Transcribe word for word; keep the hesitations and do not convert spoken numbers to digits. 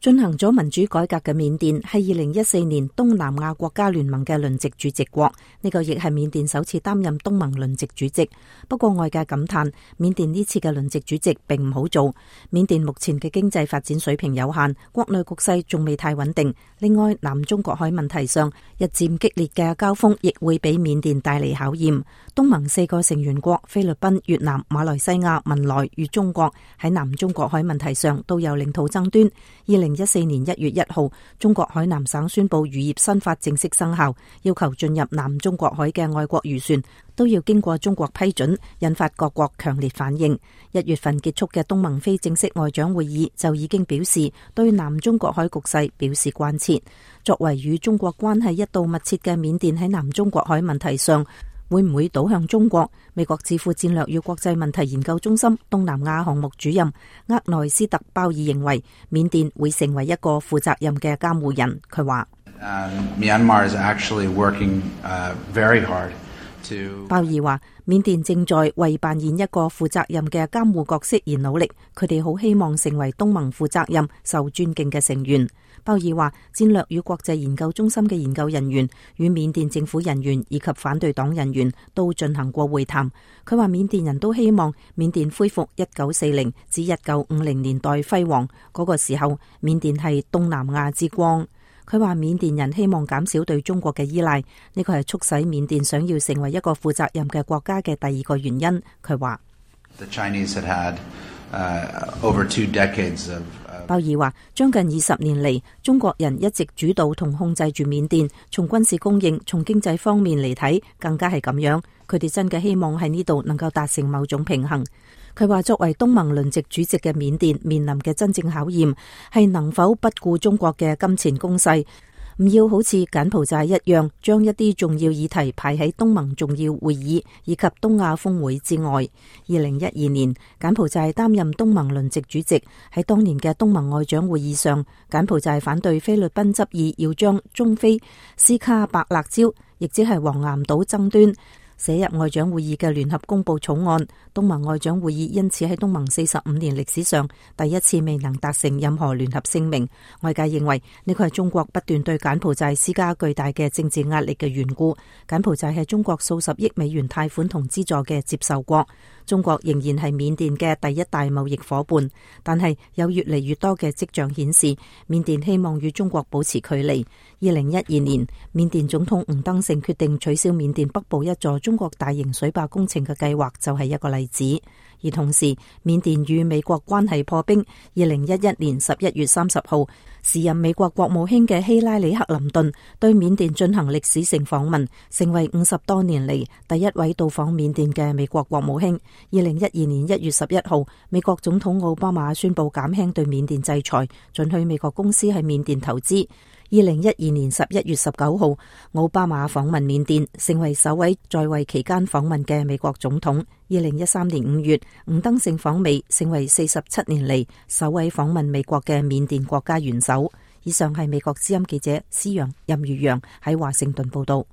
進行咗民主改革嘅緬甸係二零一四年東南亞國家聯盟嘅輪值主席國，呢個亦係緬甸首次擔任東盟輪值主席。不過外界感嘆，緬甸呢次嘅輪值主席並唔好做。緬甸目前嘅經濟發展水平有限，國內局勢仲未太穩定。另外，南中國海問題上日漸激烈嘅交鋒，亦會俾緬甸帶嚟考驗。東盟四個成員國菲律賓、越南、馬來西亞、文萊與中國喺南中國海問題上都有領土爭端。二零一四年一月一號，中國海南省宣布漁業新法正式生效，要求進入南中國海嘅外國漁船都要經過中國批准，引發各國強烈反應。一月份結束嘅東盟非正式外長會議就已經表示對南中國海局勢表示關切。作為與中國關係一度密切嘅緬甸喺南中國海問題上會唔會倒向中國？美國智庫戰略與國際問題研究中心東南亞項目主任厄內斯特鮑爾認為，緬甸會成為一個負責任嘅監護人。佢話，Myanmar is actually working very hard to。鮑爾話，緬甸正在為扮演一個負責任嘅監護角色而努力，佢哋好希望成為東盟負責任、受尊敬嘅成員。鮑爾話，戰略與國際研究中心嘅研究人員與緬甸政府人員以及反對黨人員都進行過會談。佢話，緬甸人都希望緬甸恢復一九四零至一九五零年代輝煌嗰個時候，緬甸係東南亞之光。佢話，緬甸人希望減少對中國嘅依賴，呢個係促使緬甸想要成為一個負責任嘅國家嘅第二個原因。佢話，The Chinese had had, uh, over two decades of鮑爾話，將近二十年嚟，中國人一直主導同控制住緬甸，從軍事供應、從經濟方面嚟睇，更加係咁樣。佢哋真嘅希望喺呢度能夠達成某種平衡。佢話，作為東盟輪值主席嘅緬甸面臨嘅真正考驗係能否不顧中國嘅金錢攻勢，唔要好似柬埔寨一樣將一啲重要議題排喺東盟重要會議以及東亞峰會之外。二零一二年，柬埔寨擔任東盟輪值主席，喺當年嘅東盟外長會議上，柬埔寨反對菲律賓執意要將中菲斯卡白辣礁，亦即係黃岩島爭端寫入外長會議嘅聯合公報草案。東盟外長會議因此喺東盟四十五年歷史上第一次未能達成任何聯合聲明。外界認為呢個係中國不斷對柬埔寨施加巨大嘅政治壓力嘅緣故。柬埔寨係中國數十億美元貸款同資助嘅接受國，中國仍然係緬甸嘅第一大貿易夥伴，但係有越嚟越多嘅跡象顯示，緬甸希望與中國保持距離。二零一二年，緬甸總統吳登盛決定取消緬甸北部一座中國大型水壩工程嘅計劃，就係一個例子。而同時，緬甸與美國關係破冰。二零一一年十一月三十號，時任美國國務卿嘅希拉里克林頓對緬甸進行歷史性訪問，成為五十多年嚟第一位到訪緬甸嘅美國國務卿。二零一二年一月十一號，美國總統奧巴馬宣布減輕對緬甸制裁，准許美國公司喺緬甸投資。二零一二年十一月十九號，奧巴馬訪問緬甸，成為首位在位期間訪問嘅美國總統。二零一三年五月，吳登盛訪美，成為四十七年嚟首位訪問美國嘅緬甸國家元首。以上係美國之音記者施陽任如陽喺華盛頓報道。